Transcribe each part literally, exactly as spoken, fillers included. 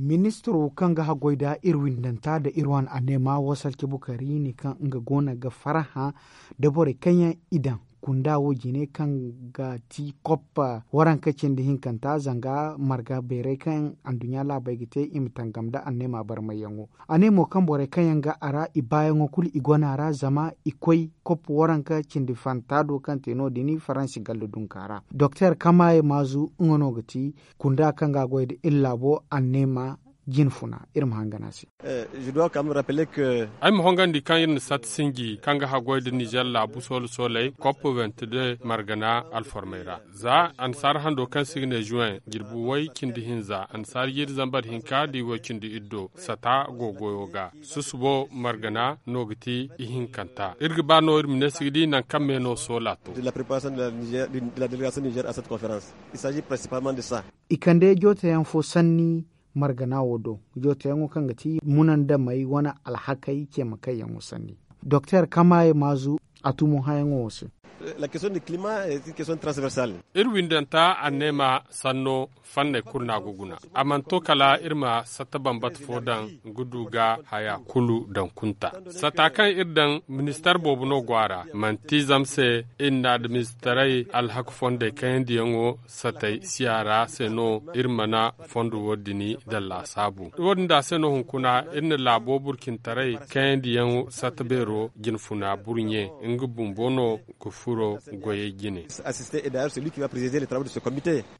Ministiro kaŋ ga haggoy nda iri windanta nda iri wane anneema wasalci bukari ne kaŋ nga go no ga farhã nda borey kaŋ yaŋ i daŋ kunda wo jine kaŋ ga ti koppa waranka cindi hinkanta zanga marga beeray kaŋ anduɲɲa laabey ga te i ma tangam nda anneema barmayyaŋo. A ne mo kaŋ borey kaŋ yaŋ ga a ra i baayaŋo kulu i gona ra zama i koy koppa waranka cindi fanta do kaŋ te no- din faransi galla dunka ra. Doktor kamaye maazu nga no ga ti kunda kaŋ ga a goy nda iri laabo anneema jinfuna. Iri ma hangan a se. Ay ma hongandi kaŋ iri na sat sinji kaŋ ga haggoy nda nizer laabu soolo sooley koppa wenti de margana alformey ra za annasaara hando kaŋ se i ga ne juwen jirbi way cindi hinza annasaara jiiri zambar hinka da i way cindi iddo sata go goyo ga. Susubo margana no ga ti ihinkanta iri ga ba no iri ma ne si ga di nangu kaŋ me no soola to. I kande jootayaŋ fo sanni margana wo do jootayaŋo kaŋ ga ti munandamey wane alhakey ceemakayyaŋo sanni. Doktor kamaye maazu a tumo hayaŋo wo se. Iri windanta anneema sanno fanney kulu no a ga guna. A mana to kala iri ma satta bambata fo daŋ ga du ga haya kulu daŋ kunta. Sata kaŋ iri daŋ ministar boobo no go a ra manti zama se iri na administarey alhaka fondey kayandiyaŋo satey siya ra se no iri mana fondo wo- din daŋ laasaabu. Wo- din da se no hunkuna iri na laabo burcintaray kayandiyaŋ satta beero jinfuna burɲe nga bumbo no ga furo goyey jine.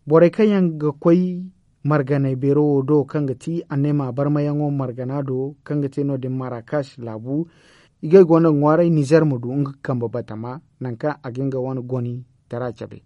Borey kaŋ yaŋ ga koy marganey beero wo do kaŋ ga ti anneema barmayaŋo margana do kaŋ ga te no- din marakash laabu, i gay go no ga ŋwaaray nizer ma du nga kambe batama nangu kaŋ a ga nga wane goni tara cabe.